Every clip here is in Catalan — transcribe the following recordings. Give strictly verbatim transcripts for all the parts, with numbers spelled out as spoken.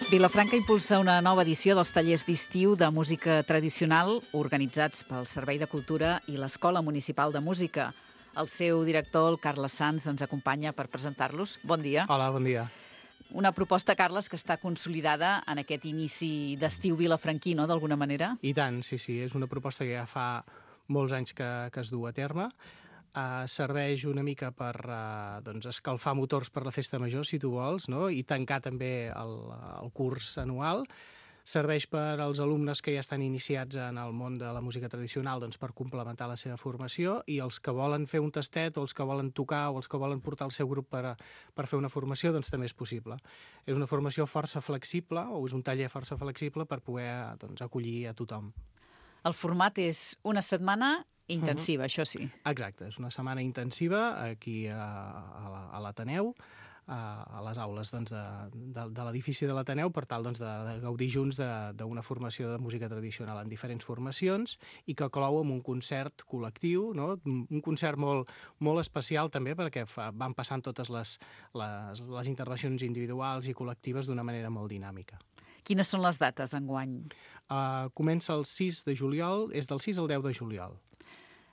Vilafranca impulsa una nova edició dels tallers d'estiu de música tradicional organitzats pel Servei de Cultura i l'Escola Municipal de Música. El seu director, el Carles Sanz, ens acompanya per presentar-los. Bon dia. Hola, bon dia. Una proposta, Carles, que està consolidada en aquest inici d'estiu vilafranquí, no?, d'alguna manera? I tant, sí, sí. És una proposta que ja fa molts anys que, que es du a terme. Uh, serveix una mica per uh, doncs escalfar motors per la festa major, si tu vols, no? I tancar també el, el curs anual. Serveix per als alumnes que ja estan iniciats en el món de la música tradicional, doncs, per complementar la seva formació, i els que volen fer un tastet, o els que volen tocar, o els que volen portar el seu grup per, per fer una formació, doncs també és possible. És una formació força flexible, o és un taller força flexible per poder doncs, acollir a tothom. El format és una setmana intensiva, uh-huh. Això sí. Exacte, és una setmana intensiva aquí a, a l'Ateneu, a, a les aules doncs, de, de, de l'edifici de l'Ateneu, per tal doncs, de, de gaudir junts d'una formació de música tradicional en diferents formacions i que clou amb un concert col·lectiu, no? Un concert molt, molt especial també perquè fa, van passant totes les, les, les intervencions individuals i col·lectives d'una manera molt dinàmica. Quines són les dates enguany? Uh, comença el sis de juliol, és del sis al deu de juliol.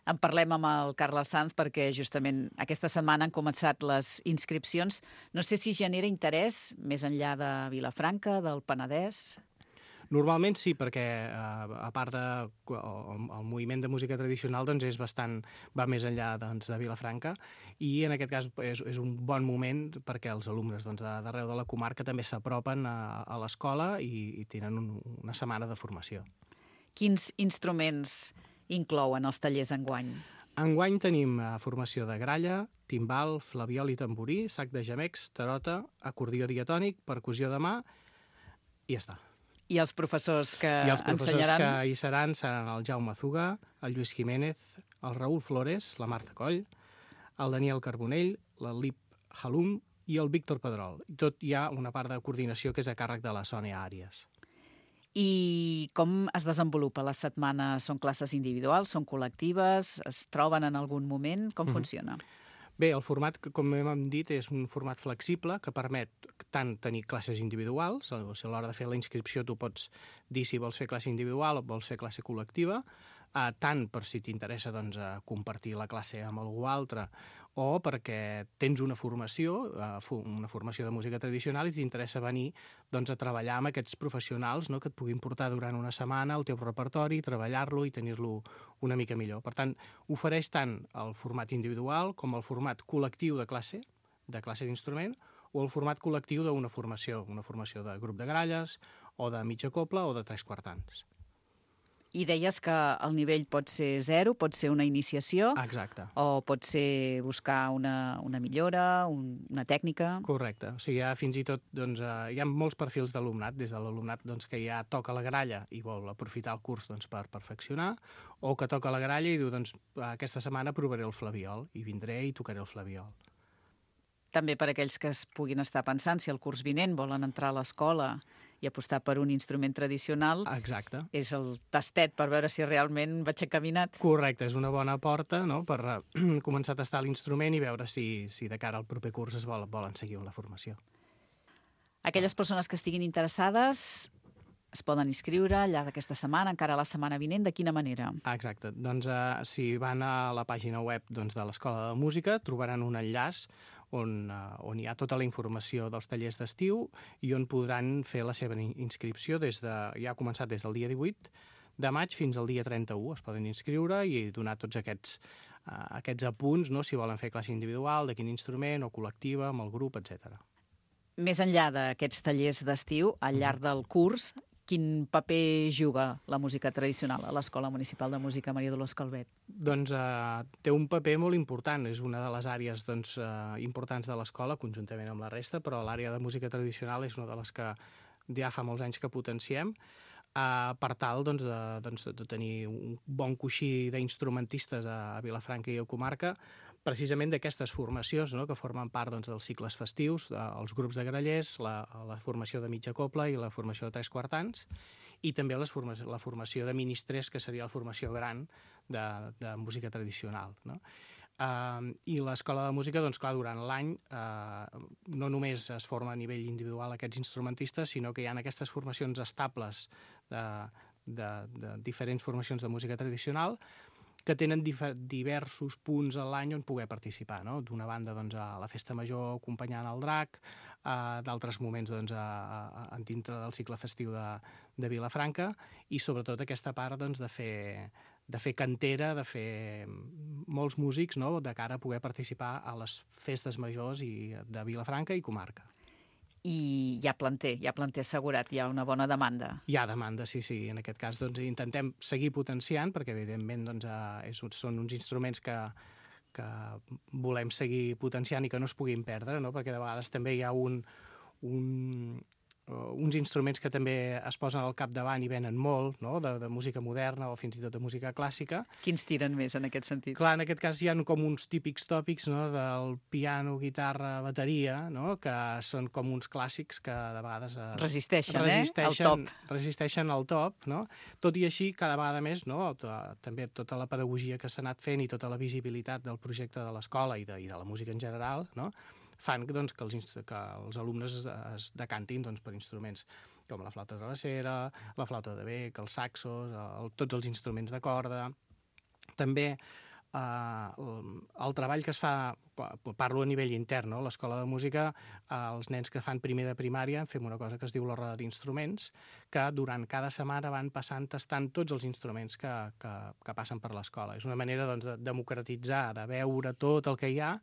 En parlem amb el Carles Sanz perquè justament aquesta setmana han començat les inscripcions. No sé si genera interès més enllà de Vilafranca, del Penedès. Normalment sí, perquè eh, a part de el, el moviment de música tradicional doncs és bastant, va més enllà doncs, de Vilafranca, i en aquest cas és, és un bon moment perquè els alumnes doncs, d'arreu de la comarca també s'apropen a, a l'escola i, i tenen un, una setmana de formació. Quins instruments inclouen els tallers enguany? Enguany tenim uh, formació de gralla, timbal, flabiol i tamborí, sac de gemecs, tarota, acordió diatònic, percussió de mà, i ja està. I els professors que ensenyaran? I els professors ensenyaran... que hi seran seran el Jaume Zuga, el Lluís Jiménez, el Raül Flores, la Marta Coll, el Daniel Carbonell, l'Alip Halum i el Víctor Pedrol. I tot hi ha una part de coordinació que és a càrrec de la Sònia Àries. I com es desenvolupa la setmana? Són classes individuals, són col·lectives, es troben en algun moment? Com mm-hmm. funciona? Bé, el format, com hem dit, és un format flexible que permet tant tenir classes individuals, o sigui, a l'hora de fer la inscripció tu pots dir si vols fer classe individual o vols fer classe col·lectiva, eh, tant per si t'interessa doncs, compartir la classe amb algú altre o perquè tens una formació, eh, una formació de música tradicional i t'interessa venir doncs, a treballar amb aquests professionals, no?, que et puguin portar durant una setmana el teu repertori, treballar-lo i tenir-lo una mica millor. Per tant, ofereix tant el format individual com el format col·lectiu de classe, de classe d'instrument, o el format col·lectiu d'una formació, una formació de grup de gralles, o de mitja cobla, o de tres quartans. I deies que el nivell pot ser zero, pot ser una iniciació. Exacte. O pot ser buscar una, una millora, un, una tècnica. Correcte. O sigui, ja fins i tot doncs, eh, hi ha molts perfils d'alumnat, des de l'alumnat doncs, que ja toca la gralla i vol aprofitar el curs doncs, per perfeccionar, o que toca la gralla i diu, doncs, aquesta setmana provaré el flabiol, i vindré i tocaré el flabiol. També per aquells que es puguin estar pensant si el curs vinent volen entrar a l'escola i apostar per un instrument tradicional. Exacte. És el tastet per veure si realment vaig encaminat. Correcte, és una bona porta, no?, per uh, començar a tastar l'instrument i veure si, si de cara al proper curs es vol, volen seguir amb la formació. Aquelles persones que estiguin interessades es poden inscriure al llarg d'aquesta setmana, encara la setmana vinent, de quina manera? Exacte. Doncs uh, si van a la pàgina web doncs, de l'Escola de Música trobaran un enllaç on, uh, on hi ha tota la informació dels tallers d'estiu i on podran fer la seva inscripció des de, ja ha començat des del dia divuit de maig fins al dia trenta-u. Es poden inscriure i donar tots aquests, uh, aquests apunts, no?, si volen fer classe individual, de quin instrument, o col·lectiva, amb el grup, etcètera. Més enllà d'aquests tallers d'estiu, al llarg del curs, quin paper juga la música tradicional a l'Escola Municipal de Música Maria Dolors Calvet? Doncs eh, té un paper molt important. És una de les àrees doncs, eh, importants de l'escola, conjuntament amb la resta, però l'àrea de música tradicional és una de les que ja fa molts anys que potenciem, eh, per tal doncs, de, doncs, de tenir un bon coixí d'instrumentistes a, a Vilafranca i a comarca, precisament d'aquestes formacions, no?, que formen part doncs, dels cicles festius, els grups de grallers, la, la formació de mitja cobla i la formació de tres quartans, i també les forma la formació de ministrers, que seria la formació gran de, de música tradicional, no? Uh, I l'Escola de Música, doncs clar, durant l'any uh, no només es forma a nivell individual aquests instrumentistes, sinó que hi ha aquestes formacions estables de, de, de diferents formacions de música tradicional que tenen diversos punts a l'any on poder participar, no? D'una banda, doncs, a la Festa Major acompanyant el drac, a d'altres moments, doncs, a, a, a dintre del cicle festiu de, de Vilafranca, i sobretot aquesta part, doncs, de fer, de fer cantera, de fer molts músics, no?, de cara a poder participar a les festes majors i de Vilafranca i comarca. I hi ha planter, hi ha planter assegurat, hi ha una bona demanda. Hi ha demanda, sí, sí. En aquest cas doncs, intentem seguir potenciant, perquè evidentment doncs, és, són uns instruments que, que volem seguir potenciant i que no es puguin perdre, no? Perquè de vegades també hi ha un, un, uh, uns instruments que també es posen al capdavant i venen molt, no? de, de música moderna o fins i tot de música clàssica. Quins tiren més en aquest sentit? Clar, en aquest cas hi ha com uns típics tòpics, no? Del piano, guitarra, bateria, no? Que són com uns clàssics que de vegades es, resisteixen, resisteixen, eh? Al top. Resisteixen al top, no? Tot i així, cada vegada més, no? També tota la pedagogia que s'ha anat fent i tota la visibilitat del projecte de l'escola i, de, i de la música en general, no? Fan doncs, que, els, que els alumnes es, es decantin doncs, per instruments com la flauta travessera, la flauta de bec, els saxos, el, tots els instruments de corda. També eh, el, el treball que es fa, parlo a nivell intern, no? A l'escola de música, eh, els nens que fan primer de primària fem una cosa que es diu la roda d'instruments, que durant cada setmana van passant tastant tots els instruments que, que, que passen per l'escola. És una manera doncs, de democratitzar, de veure tot el que hi ha,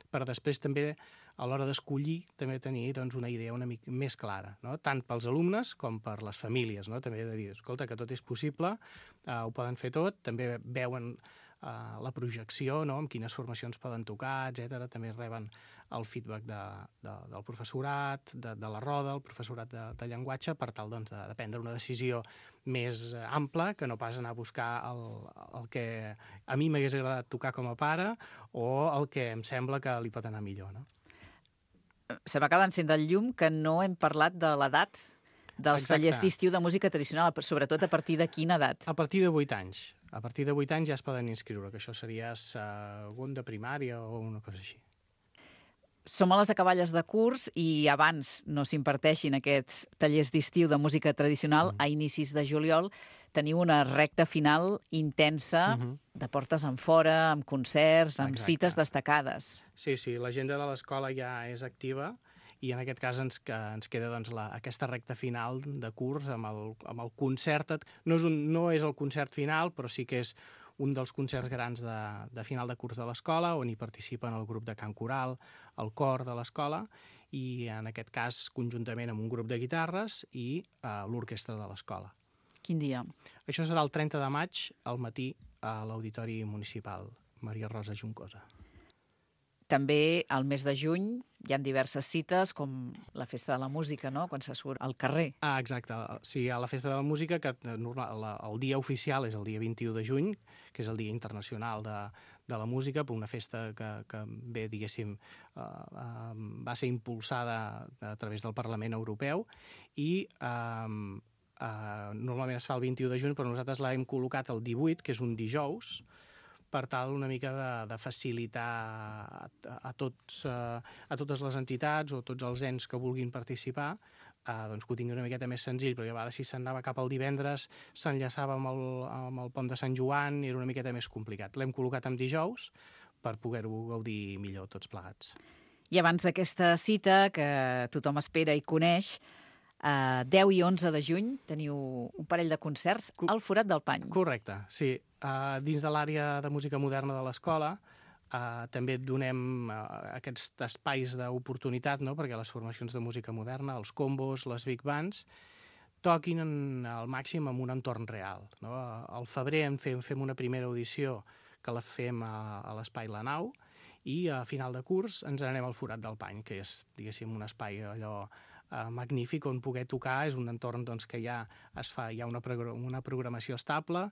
per després també, a l'hora d'escollir, també tenir doncs, una idea una mica més clara, no? Tant pels alumnes com per les famílies, no? També de dir, escolta, que tot és possible, eh, ho poden fer tot, també veuen eh, la projecció, no? Amb quines formacions poden tocar, etcètera. També reben el feedback de, de, del professorat, de, de la roda, el professorat de, de llenguatge, per tal doncs, de, de prendre una decisió més ampla, que no pas anar a buscar el, el que a mi m'hagués agradat tocar com a pare o el que em sembla que li pot anar millor, no? Se m'acaba d'encendre el llum que no hem parlat de l'edat dels Exacte. Tallers d'estiu de música tradicional, sobretot a partir de quina edat? A partir de vuit anys. A partir de vuit anys ja es poden inscriure, que això seria segon de primària o una cosa així. Som a les acaballes de curs i abans no s'imparteixin aquests tallers d'estiu de música tradicional, mm. a inicis de juliol teniu una recta final intensa, mm -hmm. de portes enfora, amb concerts, amb Exacte. Cites destacades. Sí, sí, l'agenda de l'escola ja és activa i en aquest cas ens, que, ens queda doncs, la, aquesta recta final de curs amb el, amb el concert. No és, un, no és el concert final, però sí que és un dels concerts grans de, de final de curs de l'escola, on hi participen el grup de cant coral, el cor de l'escola, i en aquest cas conjuntament amb un grup de guitarres i uh, l'orquestra de l'escola. Quin dia? Això serà el trenta de maig, al matí, a l'Auditori Municipal Maria Rosa Juncosa. També al mes de juny hi ha diverses cites, com la Festa de la Música, no?, quan se surt al carrer. Ah, exacte. Sí, a la Festa de la Música, que el dia oficial és el dia vint-i-u de juny, que és el Dia Internacional de, de la Música, per una festa que, que bé, diguéssim, uh, uh, va ser impulsada a través del Parlament Europeu i uh, uh, normalment es fa el vint-i-u de juny, però nosaltres l'hem col·locat el divuit, que és un dijous, per tal una mica de, de facilitar a, a, tots, a, a totes les entitats o tots els ens que vulguin participar, eh, doncs que ho tingui una miqueta més senzill, perquè a vegades si s'anava cap al divendres s'enllaçava amb, el, amb el pont de Sant Joan i era una miqueta més complicat. L'hem col·locat en dijous per poder-ho gaudir millor tots plegats. I abans d'aquesta cita, que tothom espera i coneix, Uh, deu i onze de juny teniu un parell de concerts al Forat del Pany. Correcte, sí. Uh, dins de l'àrea de música moderna de l'escola uh, també donem uh, aquests espais d'oportunitat, no?, perquè les formacions de música moderna, els combos, les big bands, toquin en, al màxim en un entorn real, no? Al febrer en fem, fem una primera audició que la fem a, a l'Espai La Nau i a final de curs ens anem al Forat del Pany, que és, diguéssim, un espai allò Uh, magnífic on poder tocar. És un entorn doncs, que ja es fa, hi ha una, progr una programació estable,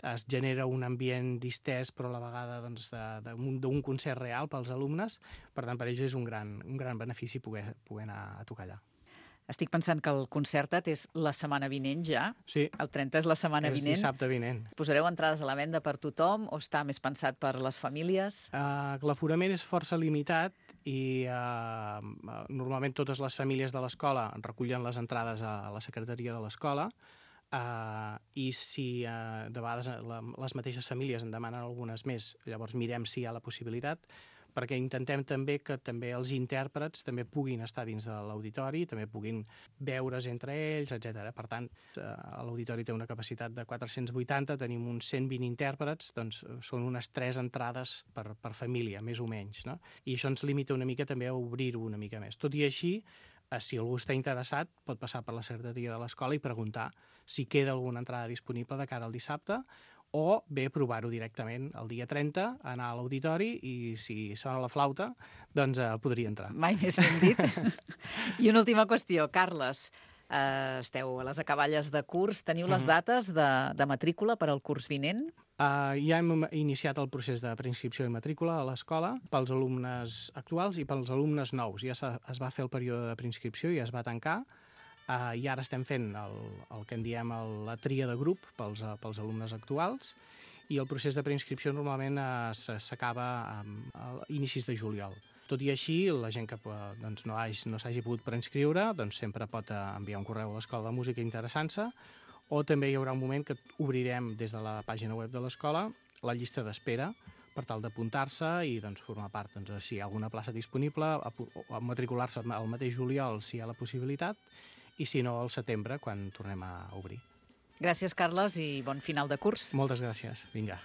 es genera un ambient distès però a la vegada doncs, d'un doncs, concert real pels alumnes, per tant per ells és un gran, un gran benefici poder, poder anar a tocar allà. Estic pensant que el Concerta't és la setmana vinent ja. Sí. El trenta és la setmana És vinent. dissabte vinent. Posareu entrades a la venda per tothom o està més pensat per les famílies? Uh, L'aforament és força limitat i uh, normalment totes les famílies de l'escola recullen les entrades a la secretaria de l'escola uh, i si uh, de vegades la, les mateixes famílies en demanen algunes més, llavors mirem si hi ha la possibilitat, perquè intentem també que també els intèrprets també puguin estar dins de l'auditori, també puguin veure's entre ells, etcètera. Per tant, l'auditori té una capacitat de quatre-cents vuitanta, tenim uns cent vint intèrprets, doncs són unes tres entrades per, per família, més o menys, no? I això ens limita una mica també a obrir-ho una mica més. Tot i així, si algú està interessat, pot passar per la secretaria de l'escola i preguntar si queda alguna entrada disponible de cara al dissabte, o bé provar-ho directament el dia trenta, anar a l'auditori i si sona la flauta, doncs eh, podria entrar. Mai més ben dit. I una última qüestió, Carles, eh, esteu a les acaballes de curs, teniu les dates de, de matrícula per al curs vinent? Uh, ja hem iniciat el procés de preinscripció i matrícula a l'escola pels alumnes actuals i pels alumnes nous. Ja es va fer el període de preinscripció i es va tancar. Uh, I ara estem fent el, el que en diem el, la tria de grup pels, pels alumnes actuals i el procés de preinscripció normalment uh, s'acaba a inicis de juliol. Tot i així, la gent que doncs, no, hagi, no s'hagi pogut preinscriure doncs, sempre pot uh, enviar un correu a l'Escola de Música interessant-se, o també hi haurà un moment que obrirem des de la pàgina web de l'escola la llista d'espera per tal d'apuntar-se i doncs, formar part. Doncs, si hi ha alguna plaça disponible, a, a matricular-se al mateix juliol si hi ha la possibilitat, i si no, al setembre, quan tornem a obrir. Gràcies, Carles, i bon final de curs. Moltes gràcies. Vinga.